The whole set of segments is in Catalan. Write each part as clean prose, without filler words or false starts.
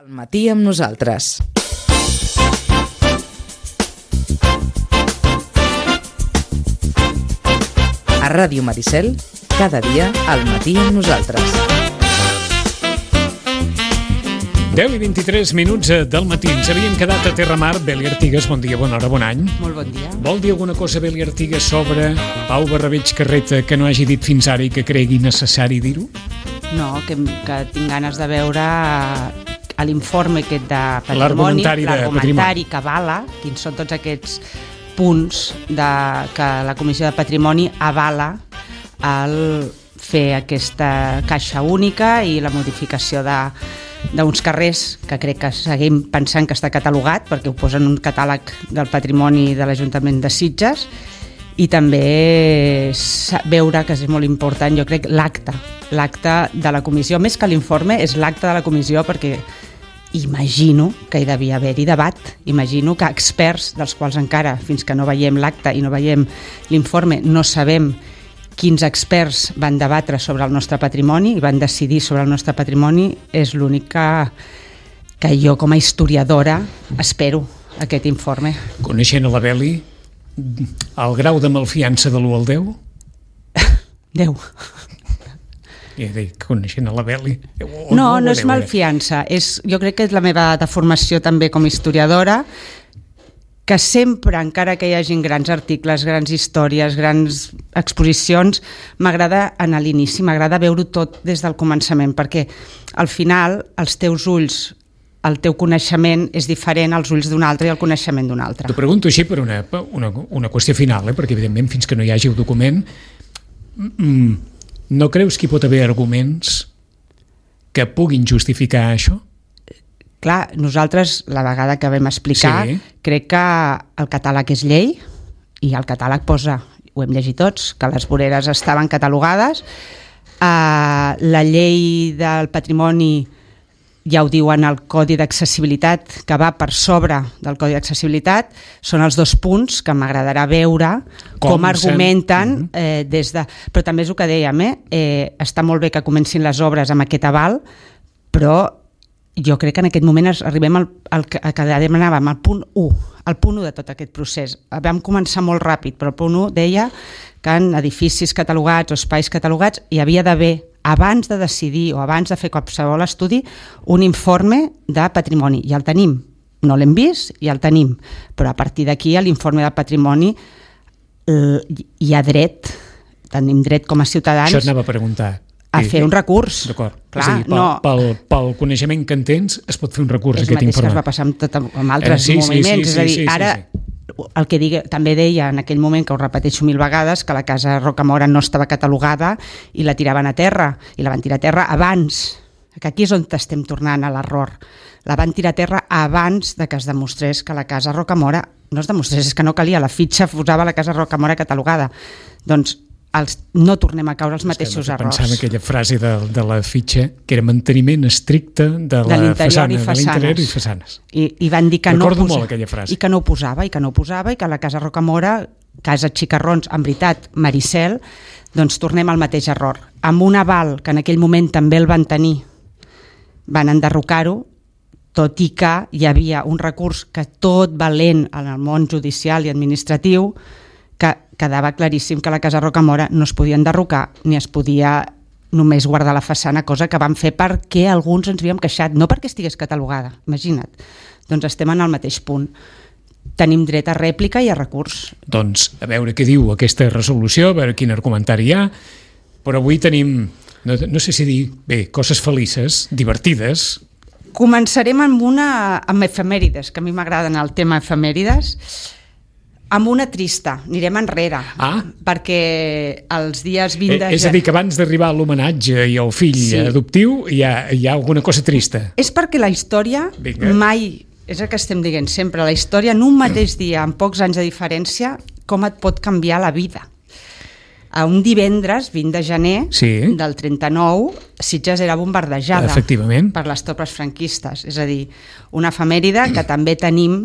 Al matí amb nosaltres. A Ràdio Maricel, cada dia al matí amb nosaltres. 10 i 23 minuts del matí. Ens havíem quedat a Terramar. Beli Artigas, bon dia, bona hora, bon any. Molt bon dia. Vol dir alguna cosa, Beli Artigas, sobre Pau Barrabeig Carreta que no hagi dit fins ara i que cregui necessari dir-ho? No, que tinc ganes de veure a l'informe aquest de patrimoni, l'argumentari que avala, quins són tots aquests punts que la Comissió de Patrimoni avala al fer aquesta caixa única i la modificació d'uns carrers que crec que seguim pensant que està catalogat perquè ho posen en un catàleg del patrimoni de l'Ajuntament de Sitges, i també veure, que és molt important, jo crec, l'acte de la comissió, més que l'informe, és l'acte de la comissió, perquè imagino que hi devia haver-hi debat, imagino que experts, dels quals encara, fins que no veiem l'acte i no veiem l'informe, no sabem quins experts van debatre sobre el nostre patrimoni i van decidir sobre el nostre patrimoni, és l'únic que jo com a historiadora espero aquest informe. Coneixent a la Beli, el grau de malfiança de l'1 al 10? 10. Coneixent a la Beli... No és malfiança, jo crec que és la meva deformació també com a historiadora, que sempre, encara que hi hagin grans articles, grans històries, grans exposicions, m'agrada anar a l'inici, m'agrada veure-ho tot des del començament, perquè al final els teus ulls, el teu coneixement és diferent als ulls d'un altre i el coneixement d'un altre. T'ho pregunto així per una qüestió final, perquè evidentment fins que no hi hagi el document, no creus que hi pot haver arguments que puguin justificar això? Clar, nosaltres, la vegada que vam explicar, crec que el catàleg és llei i el catàleg posa, ho hem llegit tots, que les voreres estaven catalogades. La llei del patrimoni ja ho diuen al Codi d'Accessibilitat, que va per sobre del Codi d'Accessibilitat, són els 2 punts que m'agradarà veure com argumenten des de... Però també és el que dèiem, està molt bé que comencin les obres amb aquest aval, però jo crec que en aquest moment arribem al que demanàvem, al punt 1, el punt 1 de tot aquest procés. Vam començar molt ràpid, però el punt 1 deia que en edificis catalogats o espais catalogats hi havia d'haver, abans de decidir o abans de fer qualsevol estudi, un informe de patrimoni. I el tenim. No l'hem vist i el tenim. Però a partir d'aquí, a l'informe de patrimoni, hi ha dret, tenim dret com a ciutadans... Això anava a preguntar. A fer un recurs. D'acord. És a dir, pel coneixement que en tens es pot fer un recurs a aquest informe. És el mateix que es va passar amb altres moviments. És a dir, ara el que també deia en aquell moment, que ho repeteixo 1000 vegades, que la casa Rocamora no estava catalogada i la tiraven a terra, i la van tirar a terra abans, que aquí és on estem tornant a l'error. La van tirar a terra abans de que es demostrés que la casa Rocamora, no es demostrés, és que no calia, la fitxa posava la casa Rocamora catalogada. Doncs no tornem a caure els mateixos errors. Pensava aquella frase de la fitxa, que era manteniment estricte de la façana, de l'interior i façanes. I van dir que recordo molt aquella frase. I que no ho posava, i que la casa Rocamora, casa Xicarrons, en veritat, Maricel, doncs tornem al mateix error. Amb un aval, que en aquell moment també el van tenir, van enderrocar-ho, tot i que hi havia un recurs que tot valent en el món judicial i administratiu, que quedava claríssim que la casa Rocamora no es podia enderrocar ni es podia només guardar la façana, cosa que vam fer perquè alguns ens havíem queixat, no perquè estigués catalogada, imagina't. Doncs estem en el mateix punt. Tenim dret a rèplica i a recurs. Doncs a veure què diu aquesta resolució, a veure quin argumentari hi ha, però avui tenim, no sé si dir, coses felices, divertides. Començarem amb efemèrides, que a mi m'agraden el tema efemèrides. Amb una trista, anirem enrere, perquè els dies 20 de És a dir, que abans d'arribar a l'homenatge i al fill adoptiu hi ha alguna cosa trista. És perquè la història mai, és el que estem dient sempre, la història en un mateix dia, amb pocs anys de diferència, com et pot canviar la vida. A un divendres, 20 de gener del 39, Sitges era bombardejada per les tropes franquistes. És a dir, una efemèride que també tenim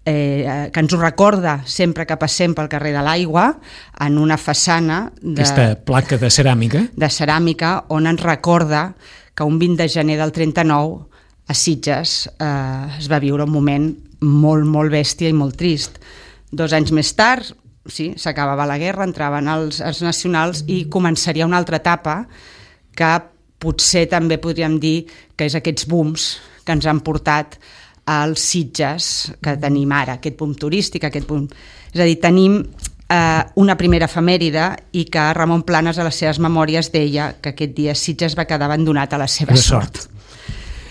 que ens ho recorda sempre que passem pel carrer de l'Aigua, en una façana aquesta placa de ceràmica on ens recorda que un 20 de gener del 39 a Sitges es va viure un moment molt, molt bèstia i molt trist. 2 anys més tard, sí, s'acabava la guerra, entraven els nacionals i començaria una altra etapa que potser també podríem dir que és aquests booms que ens han portat als Sitges que tenim ara, aquest boom turístic, aquest boom... És a dir, tenim una primera efemèride i que Ramon Planes a les seves memòries deia que aquest dia Sitges va quedar abandonat a la seva sort.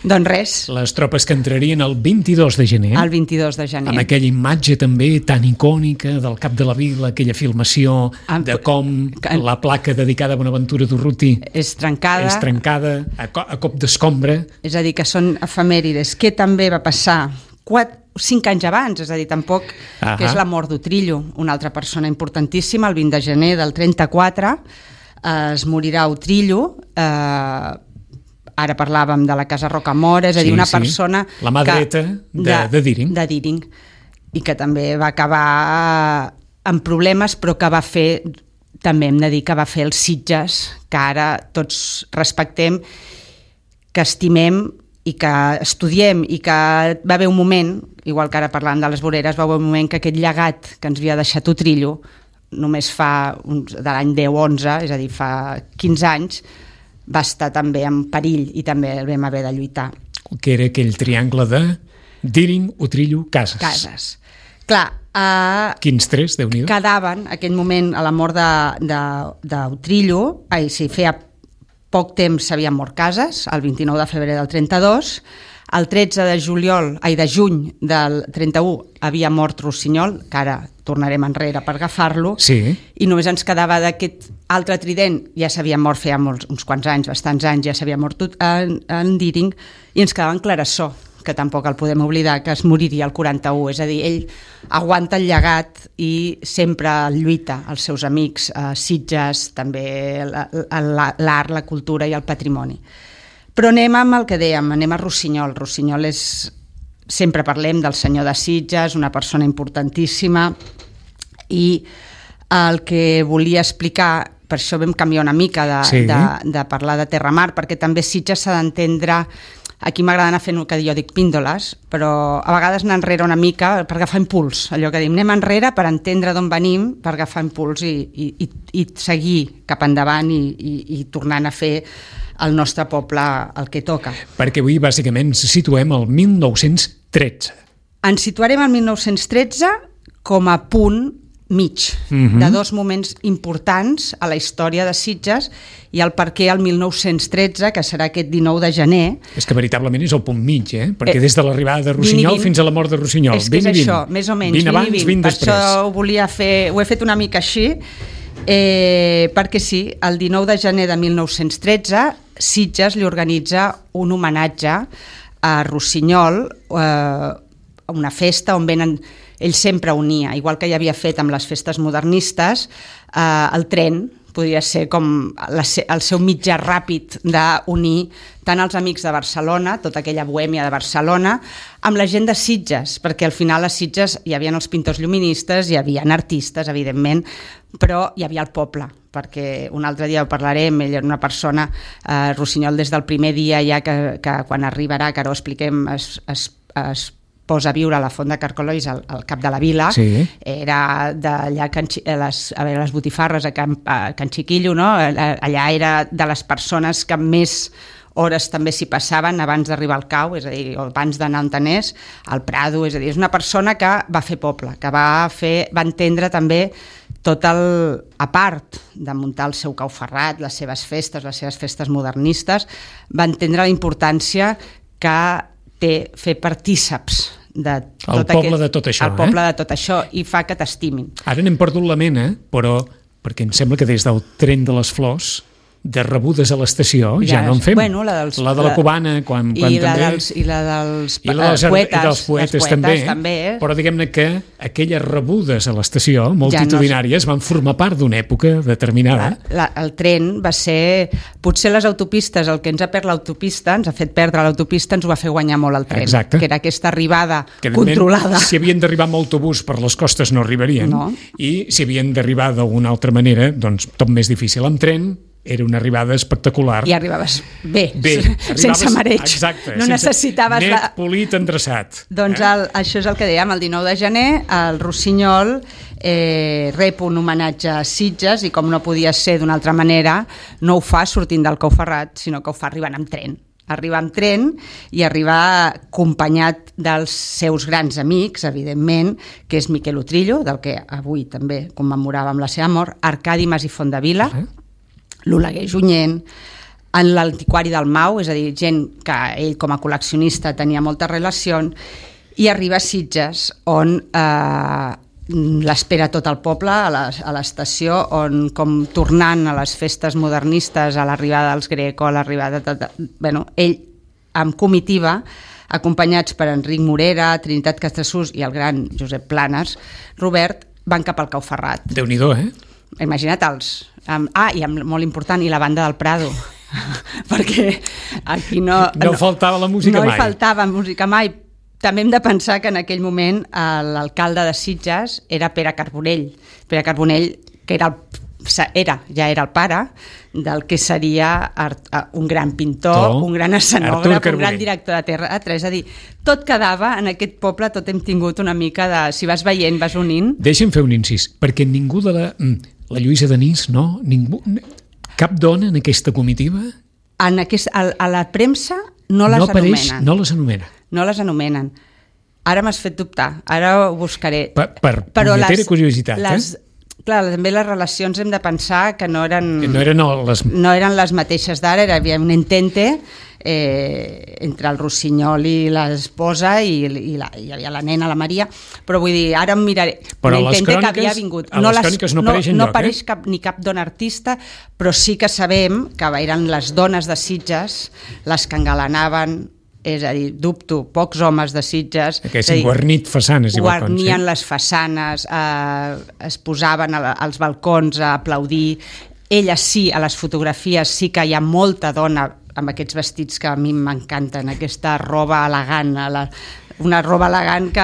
Doncs res. Les tropes que entrarien el 22 de gener. El 22 de gener. Amb aquella imatge també tan icònica del cap de la vila, aquella filmació de com la placa dedicada a Bonaventura Durruti és trencada a cop d'escombra. És a dir, que són efemèrides. Què també va passar 5 anys abans, és a dir, tampoc, que és la mort d'Utrillo, una altra persona importantíssima, el 20 de gener del 34, es morirà Utrillo, ara parlàvem de la Casa Rocamora, és a dir, una persona... La mà dreta de Díring. De Díring, i que també va acabar amb problemes, però que va fer, també hem de dir que va fer els Sitges, que ara tots respectem, que estimem i que estudiem, i que va haver un moment, igual que ara parlant de les voreres, va haver un moment que aquest llegat que ens havia deixat Utrillo, només de l'any 10-11, és a dir, fa 15 anys, va estar també en perill i també el vam haver de lluitar. Que era aquell triangle de Díring, Utrillo, Cases. Clar, quins 3, Déu-n'hi-do. Quedaven, en aquell moment, a la mort d'Utrillo, feia poc temps s'havien mort Cases, el 29 de febrer del 32, el 13 de juny del 31 havia mort Rossinyol, que ara tornarem enrere per agafar-lo, i només ens quedava d'aquest altre trident, ja s'havia mort feia uns quants anys, bastants anys, ja s'havia mort en Díring, i ens quedava en Clarasó, que tampoc el podem oblidar, que es moriria el 41, és a dir, ell aguanta el llegat i sempre lluita als seus amics, Sitges, també l'art, la cultura i el patrimoni. Però anem amb el que dèiem, anem a Rossinyol. Rossinyol és... Sempre parlem del senyor de Sitges, una persona importantíssima, i el que volia explicar, per això vam canviar una mica de parlar de terra-mar, perquè també Sitges s'ha d'entendre... Aquí m'agrada anar fent el que jo dic píndoles, però a vegades anar enrere una mica per agafar impuls, allò que diem, anem enrere per entendre d'on venim, per agafar impuls i seguir cap endavant i tornant a fer el nostre poble el que toca. Perquè avui bàsicament ens situem al 1913. Ens situarem al 1913 com a punt mig de 2 moments importants a la història de Sitges i el per què el 1913, que serà aquest 19 de gener... És que veritablement és el punt mig, perquè des de l'arribada de Rossinyol fins a la mort de Rossinyol. És que és això, més o menys, 20 abans, 20 després. Per això ho he fet una mica així, perquè sí, el 19 de gener de 1913 Sitges li organitza un homenatge a Rossinyol, una festa on venen... Ell sempre unia, igual que ja havia fet amb les festes modernistes, el tren podria ser com el seu mitjà ràpid d'unir tant els amics de Barcelona, tota aquella bohèmia de Barcelona, amb la gent de Sitges, perquè al final a Sitges hi havia els pintors lluministes, hi havia artistes, evidentment, però hi havia el poble, perquè un altre dia ho parlarem, ell era una persona, Rossinyol des del primer dia ja que quan arribarà, que ara ho expliquem, es posa a viure a la Font de Carcollois al cap de la vila, era d'allà a les botifarres a Can Chiquillo, no? Allà era de les persones que més hores també s'hi passaven abans d'arribar al cau, és a dir, abans d'anar a Antanès, al Prado, és a dir, és una persona que va fer poble, que va entendre també tot a part de muntar el seu cau ferrat, les seves festes modernistes, va entendre la importància que té fer partíceps el poble de tot això. El poble de tot això, i fa que t'estimin. Ara n'hem perdut la mena, però perquè em sembla que des del tren de les flors de rebudes a l'estació ja no en fem. Bueno, la de la cubana, quan i també... I la dels poetes també. Però diguem-ne que aquelles rebudes a l'estació, multitudinàries, van formar part d'una època determinada. El tren va ser... Potser les autopistes, el que ens ha perdut l'autopista, ens ha fet perdre l'autopista, ens ho va fer guanyar molt el tren. Exacte. Que era aquesta arribada controlada. Si havien d'arribar amb autobús per les costes no arribarien, i si havien d'arribar d'alguna altra manera, doncs tot més difícil. Amb tren era una arribada espectacular. I arribaves bé sense mareig. Exacte. No necessitaves... Net, polit, endreçat. Doncs això és el que dèiem, el 19 de gener, el Rossinyol rep un homenatge a Sitges i com no podia ser d'una altra manera, no ho fa sortint del Cau Ferrat, sinó que ho fa arribant amb tren. Arribar amb tren i arribar acompanyat dels seus grans amics, evidentment, que és Miquel Utrillo, del que avui també commemoràvem la seva mort, Arcadi Mas i Fondavila, l'Oleguer Junyent, en l'antiquari del Mau, és a dir, gent que ell com a col·leccionista tenia moltes relacions, i arriba a Sitges, on l'espera tot el poble a l'estació, on com tornant a les festes modernistes, a l'arribada dels Greco, a l'arribada ell amb comitiva, acompanyats per Enric Morera, Trinitat Castellsús i el gran Josep Planes, Robert, van cap al Cau Ferrat. Déu-n'hi-do, Imagina't i molt important, i la banda del Prado, perquè aquí no faltava la música mai. No hi faltava música mai. També hem de pensar que en aquell moment l'alcalde de Sitges era Pere Carbonell. Pere Carbonell, que ja era el pare del que seria un gran pintor, un gran escenògraf, un gran director de teatre. És a dir, tot quedava en aquest poble, tot hem tingut una mica de... Si vas veient, vas unint... Deixa'm fer un incís, perquè ningú de la Lluïsa Denís, no? Ningú, cap dona en aquesta comitiva? A la premsa no les anomenen. No les anomena. No les anomenen. Ara m'has fet dubtar, ara ho buscaré. Per punyetera curiositat, Clar, també les relacions hem de pensar que no eren les mateixes d'ara, hi havia un entente entre el Rossinyol i l'esposa i hi havia la nena, la Maria, però vull dir, ara em miraré. Però a les cròniques no apareix enlloc, no apareix ni cap dona artista, però sí que sabem que eren les dones de Sitges les que engalanaven, és a dir, dubto, pocs homes de Sitges... Haguessin guarnit façanes. Guarnien les façanes, es posaven als balcons a aplaudir. Elles sí, a les fotografies sí que hi ha molta dona amb aquests vestits que a mi m'encanten, aquesta roba elegant, una roba elegant que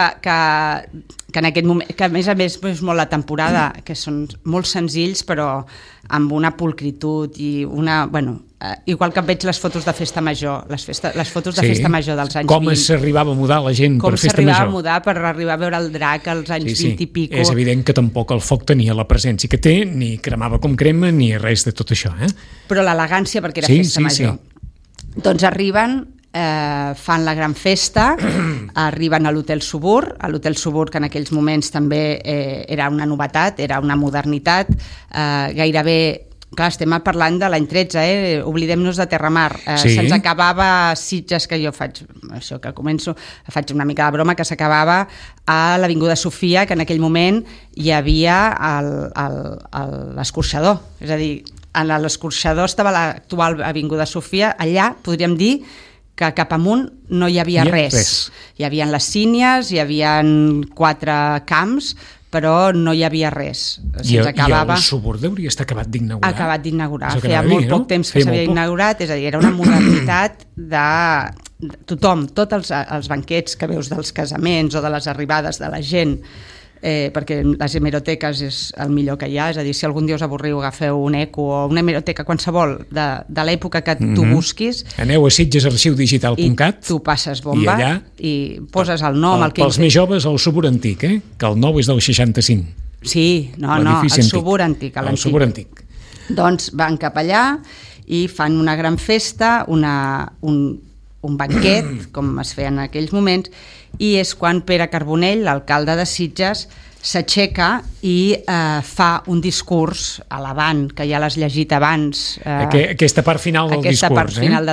en aquest moment, que a més és molt la temporada, que són molt senzills però amb una pulcritud i una... igual que veig les fotos de festa major, les fotos de festa major dels anys 20. Com s'arribava a mudar la gent per festa major. Com s'arribava a mudar per arribar a veure el drac als anys 20 i pico. És evident que tampoc el foc tenia la presència que té, ni cremava com crema, ni res de tot això. Però l'elegància, perquè era festa major. Doncs arriben, fan la gran festa, arriben a l'Hotel Subur, que en aquells moments també era una novetat, era una modernitat, gairebé... Clar, estem parlant de l'any 13, oblidem-nos de Terramar. Se'ns acabava Sitges, que jo faig una mica de broma, que s'acabava a l'Avinguda Sofia, que en aquell moment hi havia l'escorxador. És a dir, en l'escorxador estava l'actual Avinguda Sofia, allà podríem dir que cap amunt no hi havia res. Hi havia les sínies, hi havia 4 camps, però no hi havia res. I el Subur hauria estat acabat d'inaugurar. Acabat d'inaugurar. Feia molt poc temps que s'havia inaugurat, és a dir, era una modernitat de tothom, tots els banquets que veus dels casaments o de les arribades de la gent, perquè les hemeroteques és el millor que hi ha, és a dir, si algun dia us avorriu agafeu un eco o una hemeroteca qualsevol de l'època que tu busquis, aneu a sitgesarxiudigital.cat i tu passes bomba i allà i poses el nom, el que... Pels més joves, el Subur antic, que el nou és del 65. Sí, el Subur antic, el Subur antic. Doncs van cap allà i fan una gran festa, un banquet, com es feia en aquells moments, i és quan Pere Carbonell, l'alcalde de Sitges, s'aixeca i fa un discurs elevant, que ja l'has llegit abans. Aquesta part final del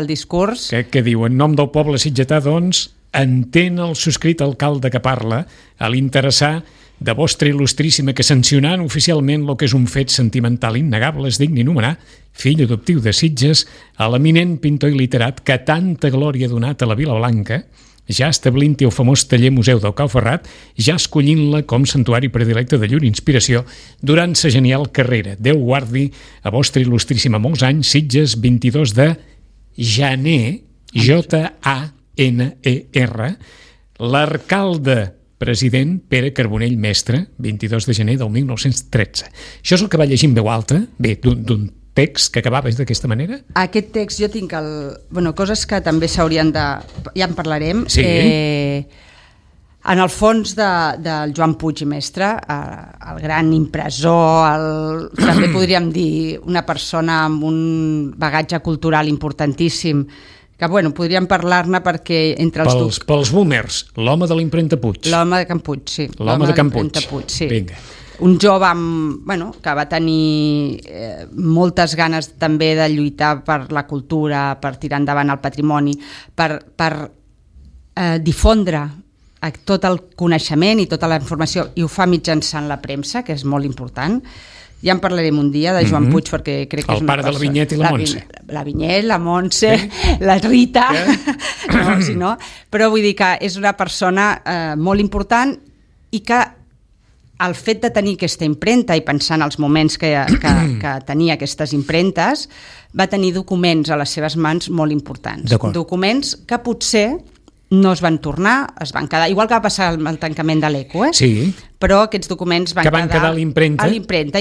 discurs. Que diu, en nom del poble sitgetà, doncs, entén el subscrit alcalde que parla a l'interessar de vostra il·lustríssima que sancionant oficialment el que és un fet sentimental innegable es digni nomenar fill adoptiu de Sitges a l'eminent pintor i literat que tanta glòria ha donat a la Vila Blanca, ja establint-hi el famós taller Museu del Cau Ferrat, ja escollint-la com santuari predilecte de llur inspiració durant sa genial carrera. Déu guardi a vostra il·lustríssima molts anys, Sitges, 22 de gener, J-A-N-E-R, l'arcalde president Pere Carbonell Mestre, 22 de gener del 1913. Això és el que va llegir en veu alta, bé, d'un text que acabava d'aquesta manera? Aquest text jo tinc coses que també s'haurien de... Ja en parlarem. Sí. En el fons del Joan Puig i Mestre, el gran impressor, també podríem dir una persona amb un bagatge cultural importantíssim, que podríem parlar-ne perquè entre els... Pels boomers, l'home de l'impremta Puig. L'home de Can Puig, sí. L'home de Can Puig. Sí. Vinga. Un jove que va tenir moltes ganes també de lluitar per la cultura, per tirar endavant el patrimoni, per difondre tot el coneixement i tota la informació, i ho fa mitjançant la premsa, que és molt important. Ja en parlarem un dia de Joan Puig, perquè crec que és una persona... El pare de la Vinyet i la Montse. La Vinyet, la Montse, la Rita... Però vull dir que és una persona molt important i que el fet de tenir aquesta impremta i pensar en els moments que tenia aquestes impremtes, va tenir documents a les seves mans molt importants. Documents que potser no es van tornar, es van quedar, igual que va passar amb el tancament de l'ECO, Sí. Però aquests documents van quedar a l'impremta,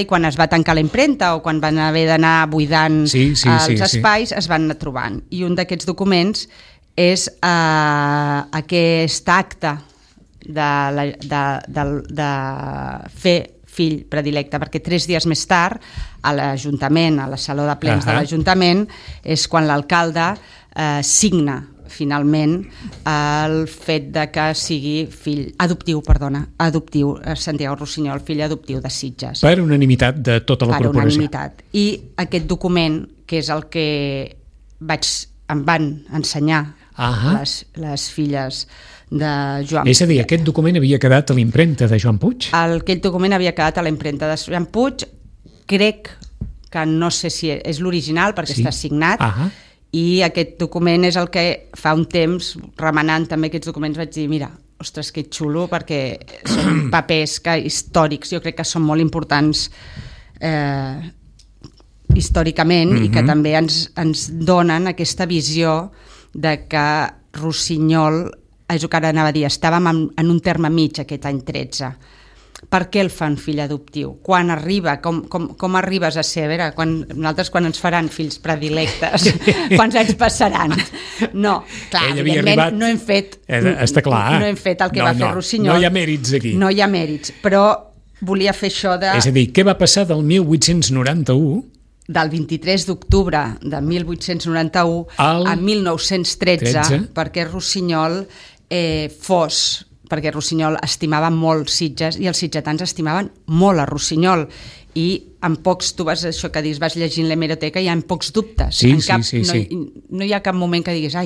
i quan es va tancar la impremta o quan van haver d'anar buidant els espais, es van anar trobant. I un d'aquests documents és aquest acte de fer fill predilecte, perquè 3 dies més tard a l'Ajuntament, a la Saló de Plens de l'Ajuntament, és quan l'alcalde signa finalment el fet de que sigui adoptiu Santiago Rossinyol, fill adoptiu de Sitges. Per unanimitat de tota la corporació. Per unanimitat. I aquest document, que és el que em van ensenyar les filles de Joan Puig. És a dir, aquest document havia quedat a l'impremta de Joan Puig? Aquell document havia quedat a l'impremta de Joan Puig. Crec que no sé si és l'original perquè està signat, i aquest document és el que fa un temps, remenant també aquests documents, vaig dir, mira, ostres, que xulo, perquè són papers històrics, jo crec que són molt importants històricament, i que també ens donen aquesta visió de que Rossinyol, és el que ara anava a dir, estàvem en un terme mig aquest any 13. Per què el fan fill adoptiu? Quan arriba? Com arribes a ser? A veure, nosaltres quan ens faran fills predilectes, quants anys passaran? No, clar, evidentment no hem fet no hem fet el que va fer Rossinyol. No hi ha mèrits aquí. No hi ha mèrits, però volia fer això de... És a dir, què va passar del 1891... Del 23 d'octubre de 1891 a 1913, perquè Rossinyol perquè Rossinyol estimava molt Sitges i els sitgetans estimaven molt a Rossinyol, i en pocs, tu vas llegint l'hemeroteca, hi ha pocs dubtes. No hi ha cap moment que diguis,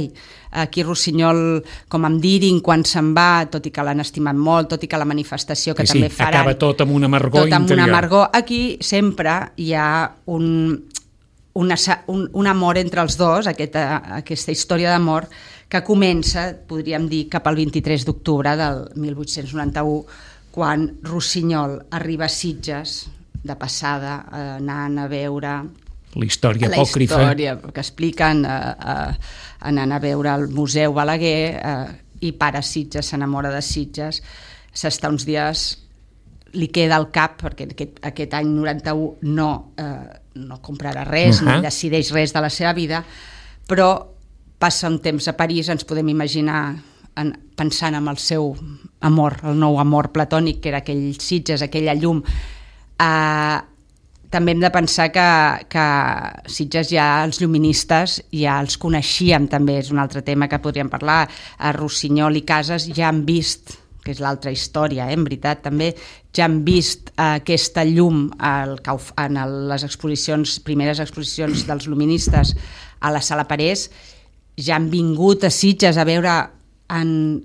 aquí Rossinyol, com em dirin quan se'n va, tot i que l'han estimat molt, tot i que la manifestació que també faran... Acaba tot amb una amargor interior. Tot amb una amargor. Aquí sempre hi ha un amor entre els dos, aquesta història d'amor, que comença, podríem dir, cap al 23 d'octubre del 1891, quan Rossinyol arriba a Sitges, de passada, anant a veure... La història apòcrifa. La història que expliquen, anant a veure el Museu Balaguer, i para Sitges, s'enamora de Sitges, s'està uns dies, li queda al cap, perquè aquest any 91 no comprarà res, ni decideix res de la seva vida, però passa un temps a París, ens podem imaginar pensant en el seu amor, el nou amor platònic, que era aquell Sitges, aquella llum. També hem de pensar que Sitges ja els lluministes ja els coneixíem, també és un altre tema que podríem parlar. A Rossinyol i Casas ja han vist, que és l'altra història, en veritat, també ja han vist aquesta llum en les primeres exposicions dels luministes a la Sala Parés, ja han vingut a Sitges a veure, han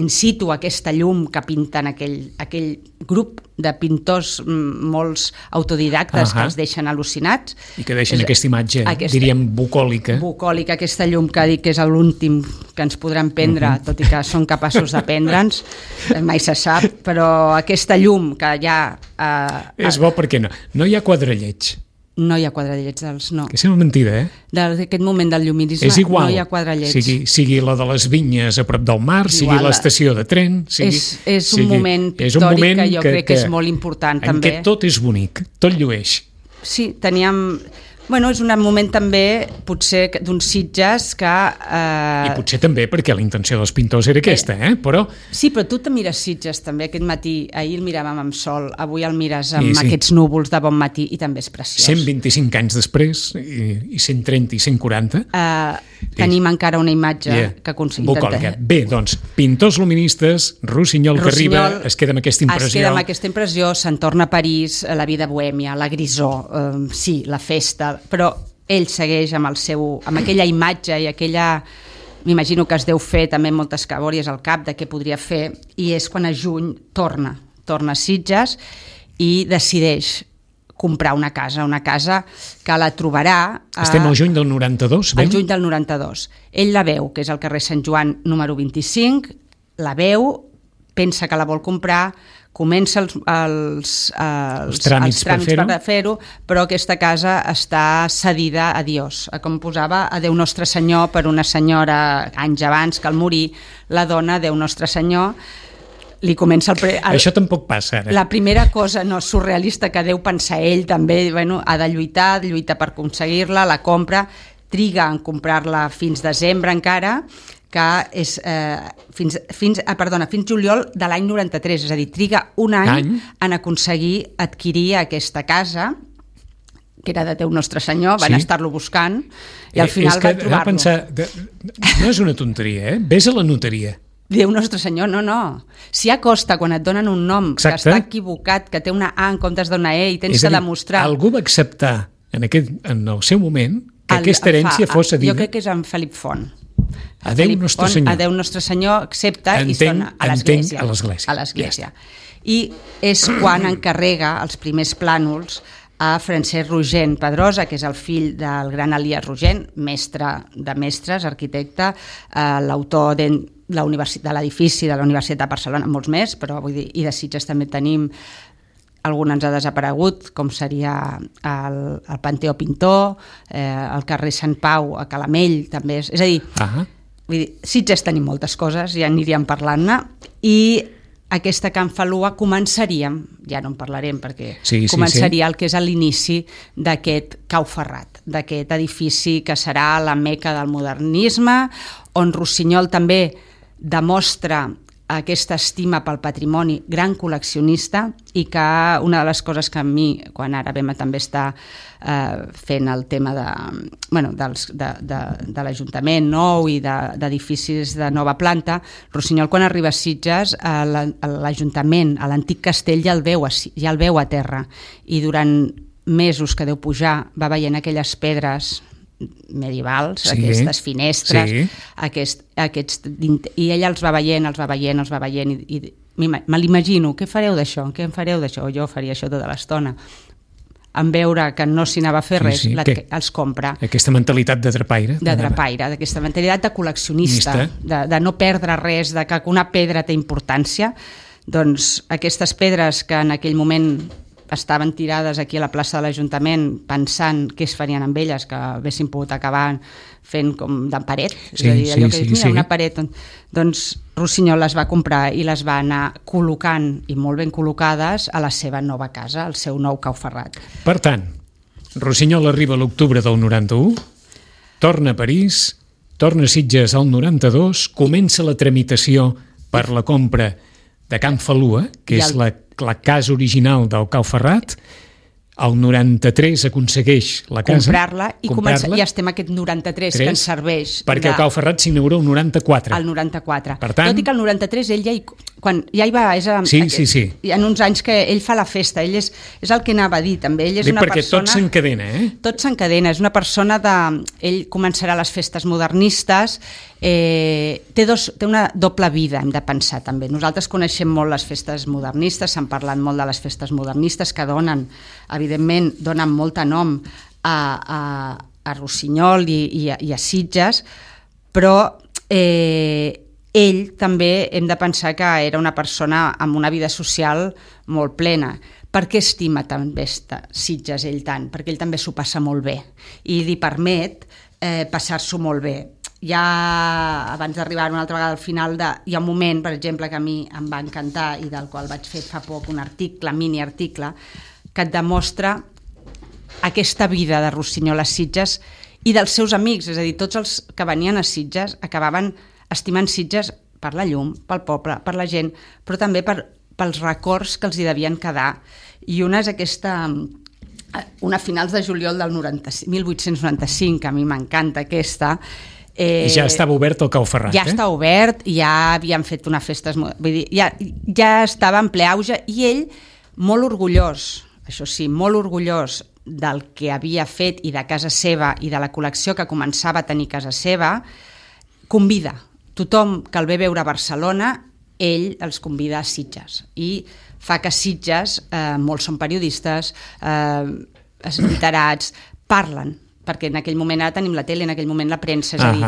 in situ aquesta llum que pinten aquell grup de pintors molts autodidactes que els deixen al·lucinats. I que deixen aquesta imatge, diríem, bucòlica. Bucòlica, aquesta llum que dic que és l'últim que ens podran prendre, tot i que són capaços de prendre'ns, mai se sap, però aquesta llum que ja... És bo perquè no hi ha quadralleig. No hi ha quadrallets dels... No. Que sembla mentida, D'aquest moment del lluminisme no hi ha quadrallets. Sigui la de les vinyes a prop del mar, sigui l'estació de tren... És un moment pictòric que jo crec que és molt important, també. En què tot és bonic, tot llueix. Sí, teníem... Bueno, és un moment també, potser, d'uns Sitges que... I potser també perquè la intenció dels pintors era aquesta, però... Sí, però tu te mires Sitges també aquest matí. Ahir el miràvem amb sol, avui el mires amb aquests núvols de bon matí i també és preciós. 125 anys després, i 130 i 140... Tenim encara una imatge que aconseguim. Bucòlica. Bé, doncs, pintors luministes, Rossinyol que arriba, es queda amb aquesta impressió. Es queda amb aquesta impressió, se'n torna a París, la vida bohèmia, la grisor, sí, la festa, però ell segueix amb aquella imatge i aquella... M'imagino que es deu fer també moltes cabòries al cap de què podria fer, i és quan a juny torna a Sitges i decideix comprar una casa que la trobarà... Estem al juny del 92, al juny del 92. Ell la veu, que és al carrer Sant Joan número 25, la veu, pensa que la vol comprar, comença els tràmits per fer-ho, però aquesta casa està cedida a Dios. Com posava, a Déu Nostre Senyor, per una senyora anys abans que al morir, la dona Déu Nostre Senyor, li comença això tampoc passa ara. La primera cosa surrealista que deu pensar ell també, ha de lluitar per aconseguir-la, la compra, triga en comprar-la fins desembre encara, que és fins juliol de l'any 93, és a dir, triga un any en aconseguir adquirir aquesta casa, que era de Déu Nostre Senyor, van estar-lo buscant i al final van trobar-lo. No és una tonteria, ves a la notaria. Déu Nostre Senyor, no. Si acosta quan et donen un nom que està equivocat, que té una A en comptes d'una E i tens que demostrar... Algú va acceptar en el seu moment que aquesta herència fos cedida. Jo crec que és en Felip Font. A Déu Nostre Senyor. A Déu Nostre Senyor accepta i es dona a l'església. I és quan encarrega els primers plànols a Francesc Rogent Pedrosa, que és el fill del gran Elies Rogent, mestre de mestres, arquitecte, l'autor de l'edifici de la Universitat de Barcelona, molts més, però vull dir, i de Sitges també tenim, algun ens ha desaparegut, com seria el Panteó Pintor, el carrer Sant Pau, a Calamell, també és a dir, vull dir, Sitges tenim moltes coses, ja aniríem parlant-ne, i aquesta Can Falua començaríem, ja no en parlarem perquè començaria el que és l'inici d'aquest Cau Ferrat, d'aquest edifici que serà la meca del modernisme, on Rossinyol també demostra aquesta estima pel patrimoni, gran col·leccionista, i que una de les coses que a mi, quan ara vam també estar fent el tema de l'Ajuntament nou i d'edificis de nova planta, Rossinyol quan arriba a Sitges, l'Ajuntament, a l'antic castell ja el veu a terra, i durant mesos que deu pujar va veient aquelles pedres medievals, aquestes finestres, i ella els va veient, i me l'imagino, què fareu d'això? Què en fareu d'això? Jo faria això tota l'estona. En veure que no s'hi anava a fer res, els compra. Aquesta mentalitat de drapaire. D'aquesta mentalitat de col·leccionista, de no perdre res, de que una pedra té importància. Doncs aquestes pedres que en aquell moment estaven tirades aquí a la plaça de l'Ajuntament pensant què es farien amb elles, que haguessin pogut acabar fent com de paret, és a dir, allò que dius, una paret, doncs Rossinyol les va comprar i les va anar col·locant, i molt ben col·locades, a la seva nova casa, al seu nou Cau Ferrat. Per tant, Rossinyol arriba a l'octubre del 91, torna a París, torna a Sitges al 92, comença la tramitació per la compra de Can Falua, que és la casa original del Cau Ferrat. El 93 aconsegueix la casa, comprar-la, i estem aquest 93 que ens serveix. Perquè el Cau Ferrat s'inaugura el 94. El 94. Per tant, tot i que el 93 ell ja quan ja hi va... Sí. Hi ha uns anys que ell fa la festa, ell és el que anava a dir, també. Ell és una perquè persona... tot s'encadena, Tot s'encadena, és una persona de... Ell començarà les festes modernistes, té una doble vida, hem de pensar, també. Nosaltres coneixem molt les festes modernistes, s'han parlat molt de les festes modernistes, que donen, evidentment, donen molt de nom a Rossinyol i a Sitges, però ell també hem de pensar que era una persona amb una vida social molt plena. Per què estima també Sitges ell tant? Perquè ell també s'ho passa molt bé i li permet passar-s'ho molt bé. Ja abans d'arribar una altra vegada al final, hi ha un moment, per exemple, que a mi em va encantar i del qual vaig fer fa poc un article, mini-article, que et demostra aquesta vida de Rossinyol a Sitges i dels seus amics, és a dir, tots els que venien a Sitges acabaven estimant Sitges per la llum, pel poble, per la gent, però també pels records que els hi devien quedar. I una és una a finals de juliol del 1895, que a mi m'encanta aquesta. Ja estava obert el Cau Ferrat, Ja està obert, ja havien fet unes festes... Vull dir, ja estava en ple auge, i ell, molt orgullós, això sí, molt orgullós del que havia fet i de casa seva i de la col·lecció que començava a tenir casa seva, convida tothom que el ve veure a Barcelona, ell els convida a Sitges i fa que Sitges, molts són periodistes, literats, parlen, perquè en aquell moment ara tenim la tele, en aquell moment la premsa, és a dir,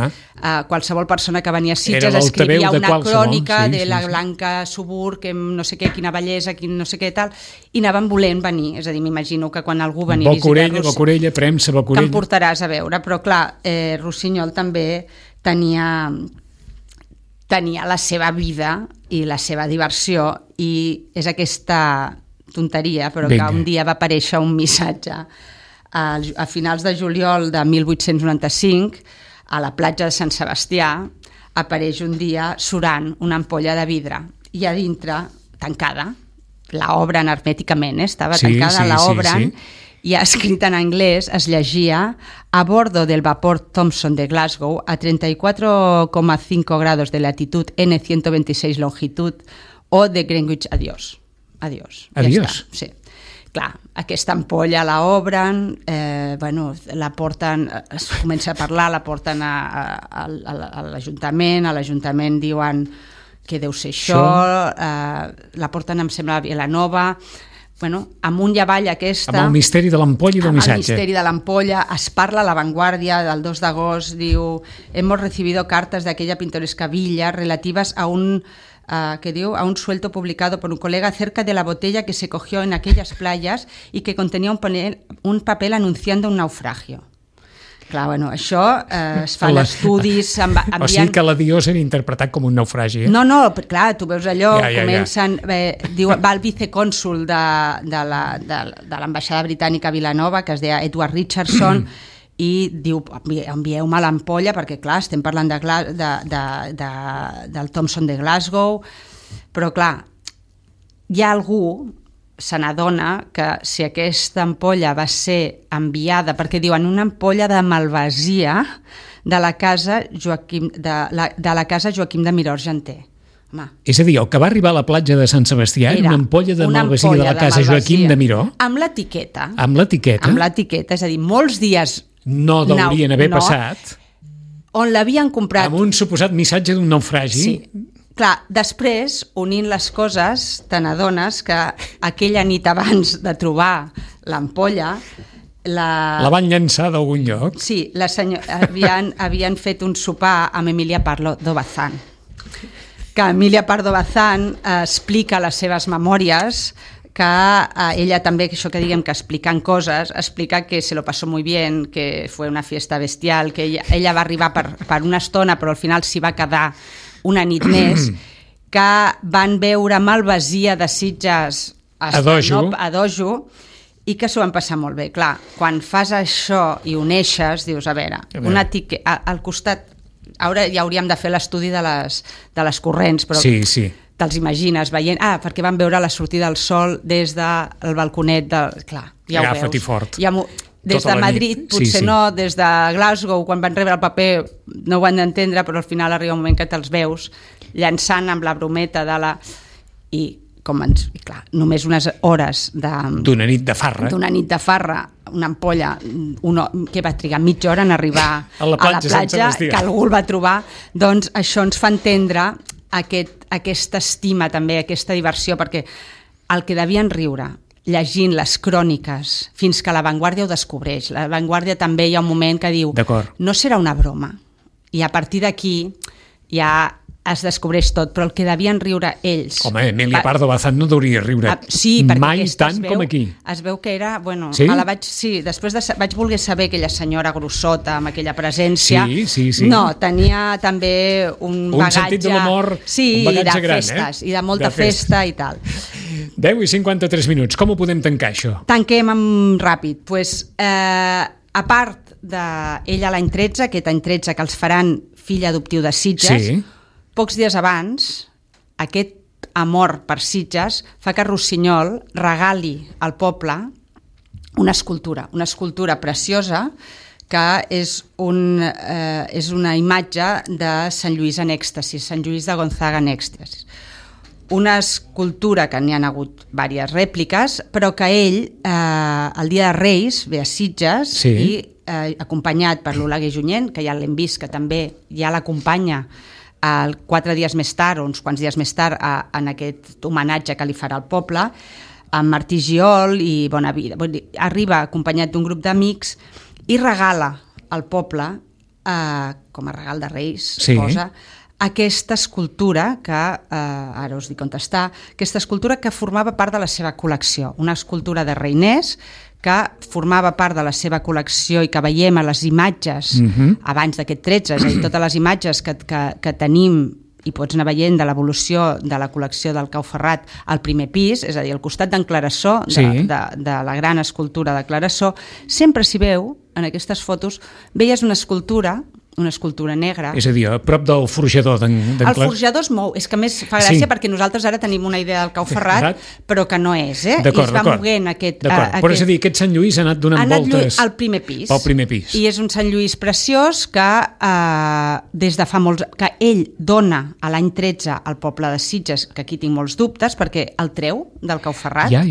qualsevol persona que venia a Sitges escrivia una crònica de la Blanca Subur, que no sé què, quina bellesa, quin no sé què tal, i anaven volent venir, és a dir, m'imagino que quan algú venia a visitar-los... Bocorella, premsa, Bocorella... Que em portaràs a veure, però clar, Rossinyol també tenia la seva vida i la seva diversió, i és aquesta tonteria, però que un dia va aparèixer un missatge a finals de juliol de 1895 a la platja de Sant Sebastià. Apareix un dia surant una ampolla de vidre i a dintre, tancada, l'obren hermèticament, estava tancada, l'obren, i escrit en anglès es llegia: a bordo del vapor Thomson de Glasgow a 34,5 grados de latitud N126 longitud o de Greenwich, adiós. Adiós. Adiós. Sí. Clar, aquesta ampolla la obren, la porten, es comença a parlar, la porten a l'Ajuntament, a l'Ajuntament diuen que deu ser això, la porten, em sembla, a Vilanova, amunt i avall aquesta... Amb el misteri de l'ampolla i del missatge. Amb el misteri de l'ampolla, es parla a La Vanguardia del 2 d'agost, diu: hemos recibido cartas de aquella pintoresca villa relativas a un suelto publicado por un colega acerca de la botella que se cogió en aquellas playas y que contenía un papel anunciando un naufragio. Clar, això es fan estudis... O sigui que l'adiós era interpretat com un naufragi. No, clar, tu veus allò, comencen... Va el vicecònsul de l'ambaixada britànica a Vilanova, que es deia Edward Richardson, i diu: envieu-me l'ampolla, perquè clar, estem parlant del Thomson de Glasgow, però clar, hi ha algú, se n'adona que si aquesta ampolla va ser enviada, perquè diuen una ampolla de malvasia de la casa Joaquim de Miró Argenter. És a dir, el que va arribar a la platja de Sant Sebastià era una ampolla de malvasia de la casa Joaquim de Miró? Amb l'etiqueta. Amb l'etiqueta? Amb l'etiqueta, és a dir, molts dies... No deurien haver passat. On l'havien comprat... Amb un suposat missatge d'un naufragi. Sí. Clar, després, unint les coses, te n'adones que aquella nit abans de trobar l'ampolla... La van llançar d'algun lloc? Sí, havien fet un sopar amb Emilia Pardo Bazán. Que Emilia Pardo Bazán explica les seves memòries, que ella també, això que diguem que explicant coses, explica que se lo pasó muy bien, que fue una fiesta bestial, que ella va arribar per una estona, però al final s'hi va quedar una nit més, que van veure Malvasia de Sitges a Dojo i que s'ho van passar molt bé. Clar, quan fas això i uneixes, dius, a veure, al costat, ara ja hauríem de fer l'estudi de les corrents, però te'ls imagines veient, perquè van veure la sortida del sol des del balconet, clar, ja ho veus. Agafa't-hi fort. des de Madrid, potser no, des de Glasgow, quan van rebre el paper no ho van d'entendre, però al final arriba un moment que te'ls veus llançant amb la brometa de la... I clar, només unes hores d'una nit de farra, una ampolla que va trigar mitja hora en arribar a la platja que algú el va trobar, doncs això ens fa entendre aquesta estima també, aquesta diversió, perquè el que devien riure llegint les cròniques fins que La Vanguardia ho descobreix. La Vanguardia també hi ha un moment que diu no serà una broma, i a partir d'aquí ja es descobreix tot, però el que devien riure ells... Home, Emilia Pardo Bazán no hauria riure mai tant com aquí. Es veu que era... Bueno, sí? Després vaig voler saber aquella senyora grossota amb aquella presència. Sí. No, tenia també un bagatge... Un sentit de l'humor, un bagatge gran, festes, i de molta festa i tal. 10:53 minuts. Com ho podem tancar, això? Tanquem ràpid. A part d'ella l'any 13, aquest any 13 que els faran fill adoptiu de Sitges, pocs dies abans, aquest amor per Sitges fa que Rossinyol regali al poble una escultura preciosa que és una imatge de Sant Lluís en èxtasis, Sant Lluís de Gonzaga en èxtasis. Una escultura que n'hi ha hagut diverses rèpliques, però que ell, el dia de Reis, ve a Sitges i acompanyat per l'Oleguer Junyent, que ja l'hem vist, que també ja l'acompanya 4 dies més tard, o uns quants dies més tard, en aquest homenatge que li farà al poble, amb Martí Giol i Bonavida. Arriba acompanyat d'un grup d'amics i regala al poble, com a regal de Reis, posa aquesta escultura que, ara us dic on està, aquesta escultura que formava part de la seva col·lecció, una escultura de Reiners que formava part de la seva col·lecció i que veiem a les imatges abans d'aquest 13, és a dir, totes les imatges que tenim i pots anar veient de l'evolució de la col·lecció del Cau Ferrat al primer pis, és a dir, al costat d'en Clarasó, de la gran escultura de Clarasó, sempre s'hi veu, en aquestes fotos, veies una escultura negra. És a dir, a prop del forjador d'en Clarasó. El forjador es mou, és que més fa gràcia perquè nosaltres ara tenim una idea del Cau Ferrat, però que no és, I es va moguent aquest... Però és a dir, aquest Sant Lluís ha anat donant voltes... al primer pis. Pel primer pis. I és un Sant Lluís preciós que des de fa molts... que ell dona a l'any 13 al poble de Sitges, que aquí tinc molts dubtes, perquè el treu del Cau Ferrat. Ja.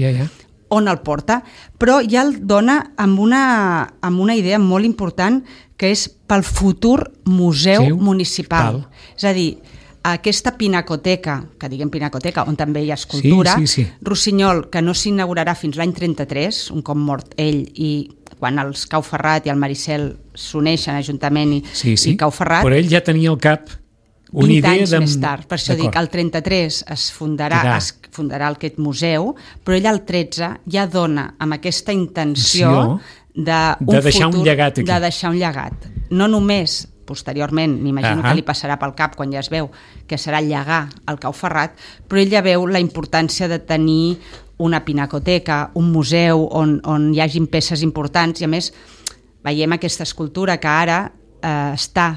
On el porta, però ja el dona amb una idea molt important, que és pel futur museu municipal. És a dir, aquesta pinacoteca, que diguem pinacoteca, on també hi ha escultura, Rossinyol, que no s'inaugurarà fins l'any 33, un cop mort ell, i quan els Cau Ferrat i el Maricel s'uneixen, Ajuntament i Cau Ferrat... Però ell ja tenia al cap una 20 idea anys més tard, per això dic, el 33 es fundarà aquest museu, però ell al 13 ja dona amb aquesta intenció de deixar un llegat aquí. De deixar un llegat. No només, posteriorment, m'imagino que li passarà pel cap quan ja es veu que serà llegar el Cau Ferrat, però ell ja veu la importància de tenir una pinacoteca, un museu on hi hagin peces importants, i a més veiem aquesta escultura que ara està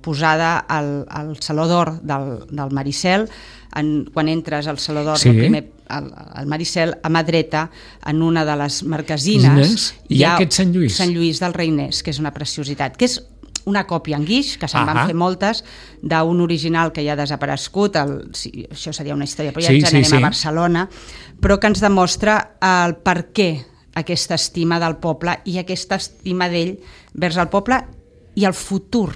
posada al Saló d'Or del Maricel. Quan entres al Saló d'Or al Maricel, a mà dreta, en una de les marquesines hi ha aquest Sant Lluís. Sant Lluís del Reiners, que és una preciositat, que és una còpia en guix, que se'n van fer moltes, d'un original que ja ha desaparegut, això seria una història, però ja ens anem a Barcelona, però que ens demostra el per què aquesta estima del poble i aquesta estima d'ell vers el poble i el futur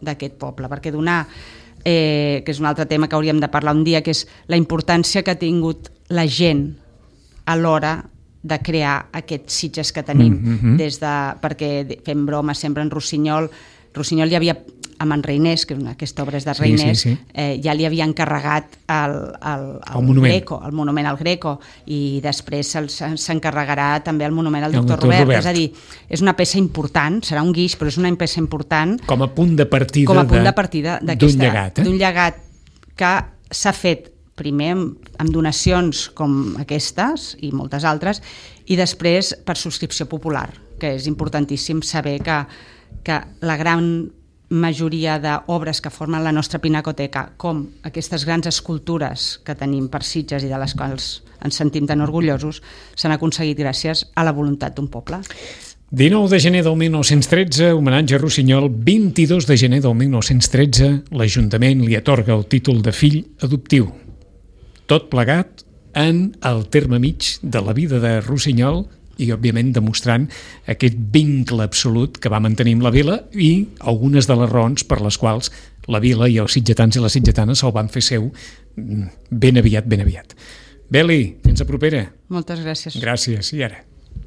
d'aquest poble, perquè donar, que és un altre tema que hauríem de parlar un dia, que és la importància que ha tingut la gent a l'hora de crear aquests Sitges que tenim, perquè fem broma sempre en Rossinyol hi havia, amb en Reiners, que aquesta obra és de Reiners, ja li havia encarregat el monument al Greco, i després s'encarregarà també el monument al doctor Robert. És a dir, és una peça important, serà un guix, però és una peça important com a punt de partida d'un llegat que s'ha fet primer amb donacions com aquestes i moltes altres, i després per subscripció popular, que és importantíssim saber que la gran majoria d'obres que formen la nostra pinacoteca, com aquestes grans escultures que tenim per Sitges i de les quals ens sentim tan orgullosos, s'han aconseguit gràcies a la voluntat d'un poble. 19 de gener del 1913, homenatge a Rossinyol. 22 de gener del 1913, l'Ajuntament li atorga el títol de fill adoptiu. Tot plegat en el terme mig de la vida de Rossinyol i, òbviament, demostrant aquest vincle absolut que va mantenir amb la vila i algunes de les raons per les quals la vila i els sitgetans i les sitgetanes se'l van fer seu ben aviat, ben aviat. Beli, fins a propera. Moltes gràcies. Gràcies, i ara?